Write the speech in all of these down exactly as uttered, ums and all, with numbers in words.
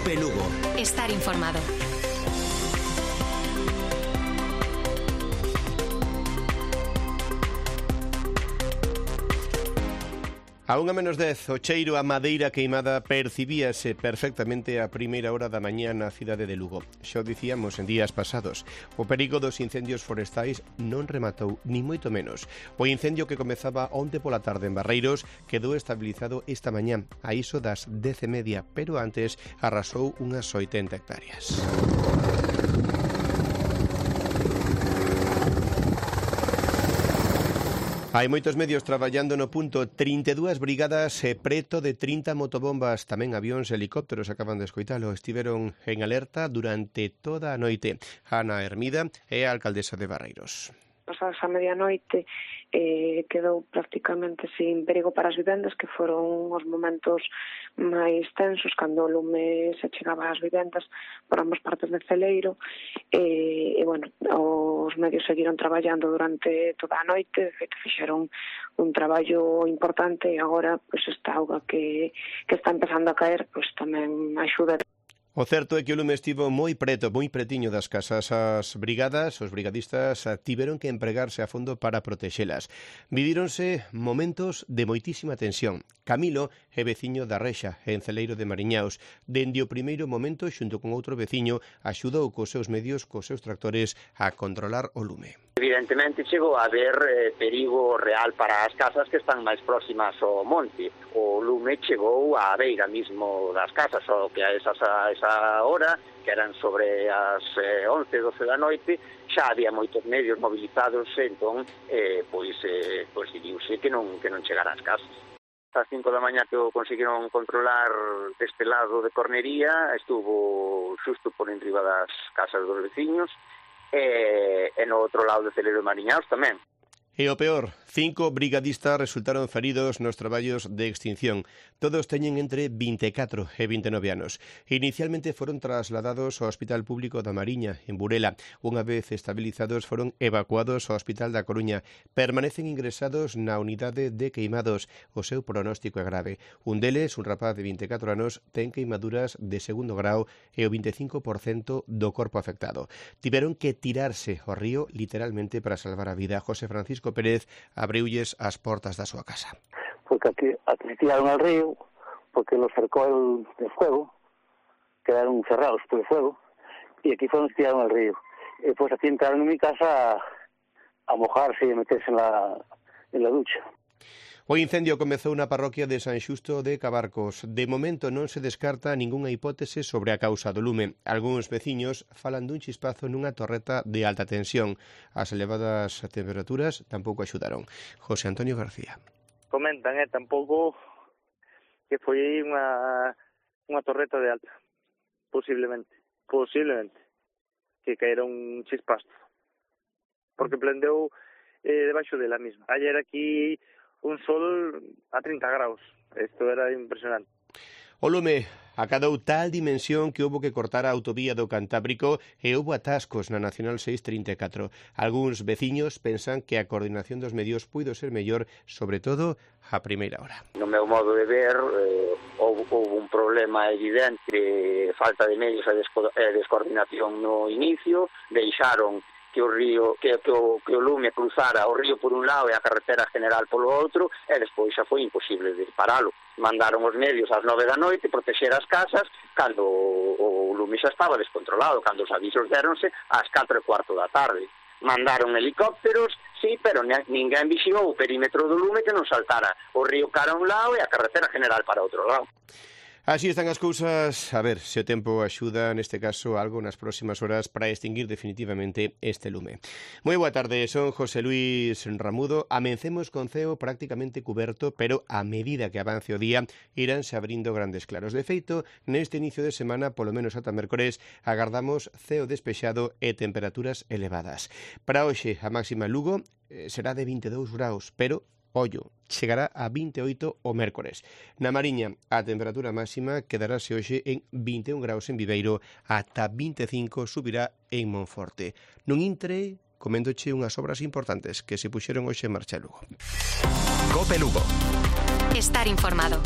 Cope Lugo. Estar informado. A unha menos dez, o cheiro a madeira queimada percibíase perfectamente a primeira hora da mañá na cidade de Lugo. Xa o dicíamos en días pasados, o perigo dos incendios forestais non rematou, ni moito menos. O incendio que comezaba onte pola tarde en Barreiros quedou estabilizado esta mañá, a iso das dez e media, pero antes arrasou unhas oitenta hectáreas. Hai moitos medios traballando no punto, trinta e dúas brigadas e preto de trinta motobombas, tamén avións e helicópteros, acaban de escoitalo, estiveron en alerta durante toda a noite. Ana Hermida é a alcaldesa de Barreiros. Pasadas a medianoite eh, quedou prácticamente sin perigo para as vivendas, que foron os momentos máis tensos cando o lume se chegaba ás vivendas por ambas partes do celeiro. E, e bueno, os medios seguiron traballando durante toda a noite, de feito fixeron un traballo importante, e agora pois esta auga que, que está empezando a caer pois tamén axuda. O certo é que o lume estivo moi preto, moi pretiño das casas. As brigadas, os brigadistas, tiveron que empregarse a fondo para protexelas. Vivíronse momentos de moitísima tensión. Camilo é veciño da Rexa, en Celeiro de Mariñaos. Dende o primeiro momento, xunto con outro veciño, axudou cos seus medios, cos seus tractores, a controlar o lume. Evidentemente chegou a haber eh, perigo real para as casas que están máis próximas ao monte. O lume chegou á beira mismo das casas, só que a esas, a esa hora, que eran sobre as eh, once, doce da noite, xa había moitos medios mobilizados, entón, eh, pois, eh, pois decidiuse que non, que non chegara ás casas. As cinco da mañá que o conseguiron controlar deste lado de Cornería, estuvo xusto por enriba das casas dos veciños, e, e no outro lado de Celeiro de Mariñaos tamén. E o peor, cinco brigadistas resultaron feridos nos traballos de extinción. Todos teñen entre vinte e catro e vinte e nove anos. Inicialmente foron trasladados ao Hospital Público da Mariña, en Burela. Unha vez estabilizados, foron evacuados ao Hospital da Coruña. Permanecen ingresados na unidade de queimados. O seu pronóstico é grave. Un deles, un rapaz de vinte e catro anos, ten queimaduras de segundo grau e o vinte e cinco por cento do corpo afectado. Tiveron que tirarse ao río literalmente para salvar a vida. José Francisco Pérez abriulles as portas da súa casa. Porque aquí, aquí tiraron al río, porque los cercó el, el fuego, quedaron cerrados por el fuego, y aquí fueron tiraron al río. Y pues aquí entraron en mi casa a, a mojarse y a meterse en la, en la ducha. O incendio comezou na parroquia de San Xusto de Cabarcos. De momento non se descarta ningunha hipótese sobre a causa do lume. Algúns veciños falan dun chispazo nunha torreta de alta tensión. As elevadas temperaturas tampouco axudaron. José Antonio García. Comentan, eh, tampouco que foi unha unha torreta de alta. Posiblemente. Posiblemente. Que caera un chispazo. Porque prendeu eh, debaixo dela mesma. Ayer aquí un sol a trinta graus. Isto era impresionante. O lume acadou tal dimensión que houbo que cortar a autovía do Cantábrico e houbo atascos na Nacional seiscentos trinta e catro. Algúns veciños pensan que a coordinación dos medios puido ser mellor, sobre todo a primeira hora. No meu modo de ver, eh, houve, houve un problema evidente de falta de medios e descoordinación no inicio, deixaron que o río, que, que, o, que o lume cruzara o río por un lado e a carretera general polo outro, e despois xa foi imposible de paralo. Mandaron os medios ás nove da noite protexer as casas cando o, o lume xa estaba descontrolado, cando os avisos deronse ás catro e cuarto da tarde. Mandaron helicópteros, sí, pero ninguén vixiou o perímetro do lume que non saltara o río cara a un lado e a carretera general para outro lado. Así están as cousas. A ver se o tempo axuda, neste caso, algo nas próximas horas para extinguir definitivamente este lume. Moi boa tarde, son José Luis Ramudo. Amencemos con ceo prácticamente cuberto, pero a medida que avance o día iránse abrindo grandes claros. De feito, neste inicio de semana, polo menos ata mércores, agardamos ceo despexado e temperaturas elevadas. Para hoxe, a máxima en Lugo eh, será de vinte e dous graus, pero ollo, chegará a vinte e oito o mércores. Na Mariña, a temperatura máxima quedarase hoxe en vinte e un graus en Viveiro, ata vinte e cinco subirá en Monforte. Non intre, coméndoche unhas obras importantes que se puxeron hoxe en marcha en Lugo. Cope Lugo. Estar informado.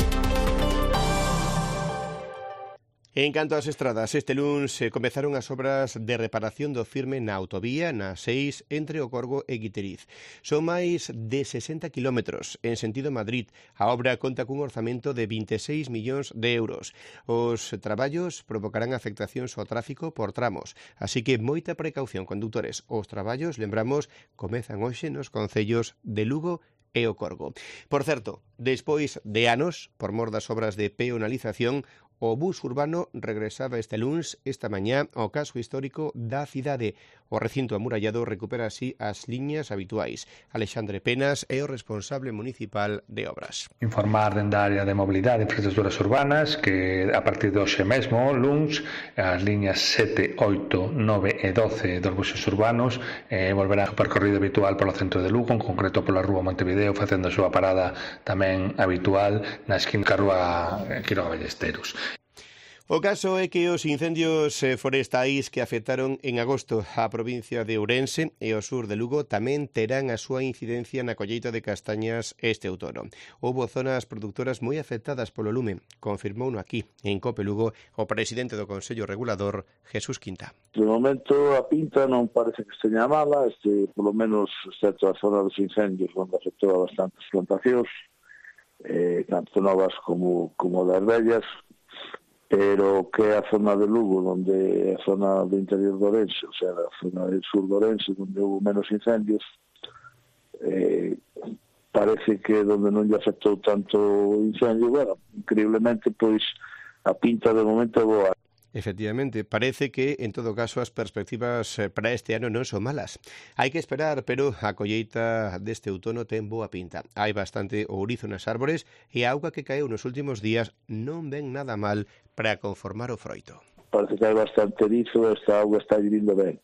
En canto ás estradas, este luns eh, comezaron as obras de reparación do firme na autovía na seis entre o Corgo e Guiteriz. Son máis de sesenta kilómetros en sentido Madrid. A obra conta cun orzamento de vinte e seis millóns de euros. Os traballos provocarán afectacións ao tráfico por tramos, así que moita precaución, conductores. Os traballos, lembramos, comezan hoxe nos concellos de Lugo e o Corgo. Por certo, despois de anos, por mor das obras de peonalización, o bus urbano regresaba este luns, esta mañá, ao casco histórico da cidade. O recinto amurallado recupera así as liñas habituais. Alexandre Penas é o responsable municipal de obras. Informar dende a área de mobilidade e infraestructuras urbanas que a partir de hoxe mesmo, luns, as liñas sete, oito, nove e doce dos buses urbanos eh, volverán ao percorrido habitual polo centro de Lugo, en concreto pola Rúa Montevideo, facendo a súa parada tamén habitual na esquina da Rúa Quiroga Ballesteros. O caso é que os incendios forestais que afectaron en agosto a provincia de Ourense e o sur de Lugo tamén terán a súa incidencia na colleita de castañas este outono. Houbo zonas produtoras moi afectadas polo lume, confirmouno aquí, en Cope Lugo, o presidente do Consello Regulador, Jesús Quinta. De momento a pinta non parece que esteña mala, este, polo menos excepto a zona dos incendios, onde afectou a bastantes plantacións, eh, tanto novas como, como das vellas, pero que é a zona de Lugo, onde é a zona do interior de Ourense, o sea, a zona del sur de Ourense, onde houve menos incendios, eh, parece que onde non lle afectou tanto o incendio, bueno, increíblemente, pois, a pinta de momento é boa. Efectivamente, parece que, en todo caso, as perspectivas para este ano non son malas. Hai que esperar, pero a colleita deste outono ten boa pinta. Hai bastante ourizo nas árbores e a auga que caeu nos últimos días non ven nada mal para conformar o froito. Parece que hai bastante erizo, esta auga está vindo ben.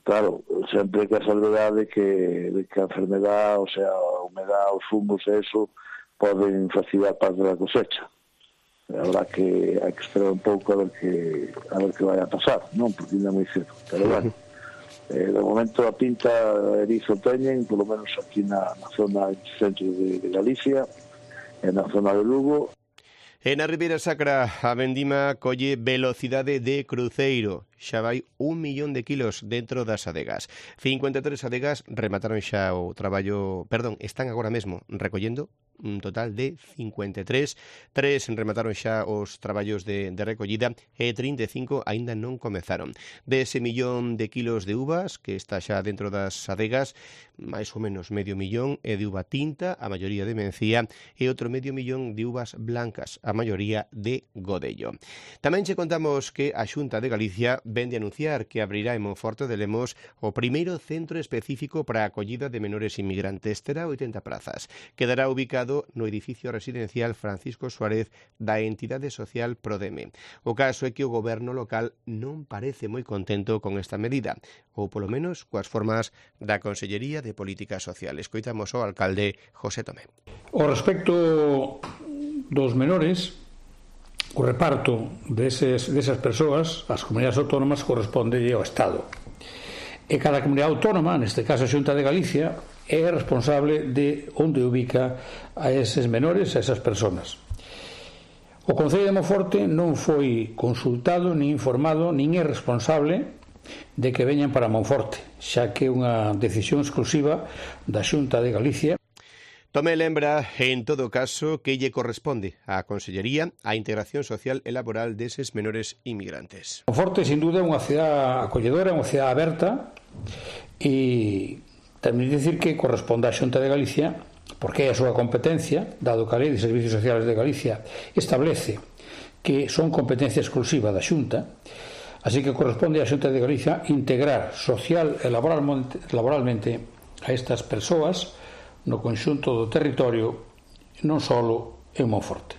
Claro, sempre que a salvedade que, de que a enfermedad, o sea, a humedad, os fungos e eso, poden facilitar parte da cosecha. Habrá que, hai que esperar un pouco a ver que a ver que vai a pasar, non? Porque ainda é moi cedo, pero bueno, eh, de momento a pinta erizo teñen, polo menos aquí na, na zona centro de, de Galicia e na zona de Lugo. E na Ribeira Sacra a vendima colle velocidade de cruceiro. Xa vai un millón de kilos dentro das adegas. cincuenta e tres adegas remataron xa o traballo, perdón, están agora mesmo recollendo un total de cincuenta e tres. Tres remataron xa os traballos de, de recollida e trinta e cinco aínda non comezaron. De ese millón de kilos de uvas que está xa dentro das adegas, máis ou menos medio millón é de uva tinta, a maioría de mencía, e outro medio millón de uvas blancas, a maioría de godello. Tamén che contamos que a Xunta de Galicia vende anunciar que abrirá en Monforte de Lemos o primeiro centro específico para a acollida de menores inmigrantes. Terá oitenta plazas. Quedará ubicado no edificio residencial Francisco Suárez da entidade social Prodeme. O caso é que o goberno local non parece moi contento con esta medida, ou polo menos coas formas da Consellería de Política Social. Escoitamos ao alcalde José Tomé. O respecto dos menores, o reparto deses, desas persoas, as comunidades autónomas, corresponde ao Estado. E cada comunidade autónoma, neste caso a Xunta de Galicia, é responsable de onde ubica a eses menores, a esas persoas. O Concello de Monforte non foi consultado, nin informado, nin é responsable de que veñan para Monforte, xa que é unha decisión exclusiva da Xunta de Galicia. Tomé lembra, en todo caso, que lle corresponde á Consellería a integración social e laboral deses menores inmigrantes. Monforte, sin duda, é unha cidade acolledora, unha cidade aberta, e tamén dicir que corresponde á Xunta de Galicia, porque é a súa competencia, dado que a Lei de Servicios Sociales de Galicia establece que son competencia exclusiva da Xunta, así que corresponde á Xunta de Galicia integrar social e laboralmente, laboralmente a estas persoas no conxunto do territorio, non só en Monforte.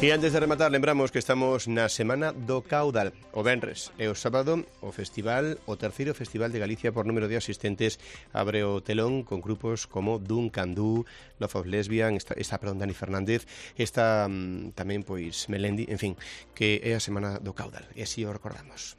E antes de rematar, lembramos que estamos na Semana do Caudal. O venres e o sábado, o festival, o terceiro Festival de Galicia por número de asistentes, abre o telón con grupos como Duncan Du, Love of Lesbian, está, está perdón, Dani Fernández, está um, tamén, pois, Melendi, en fin, que é a Semana do Caudal. E así o recordamos.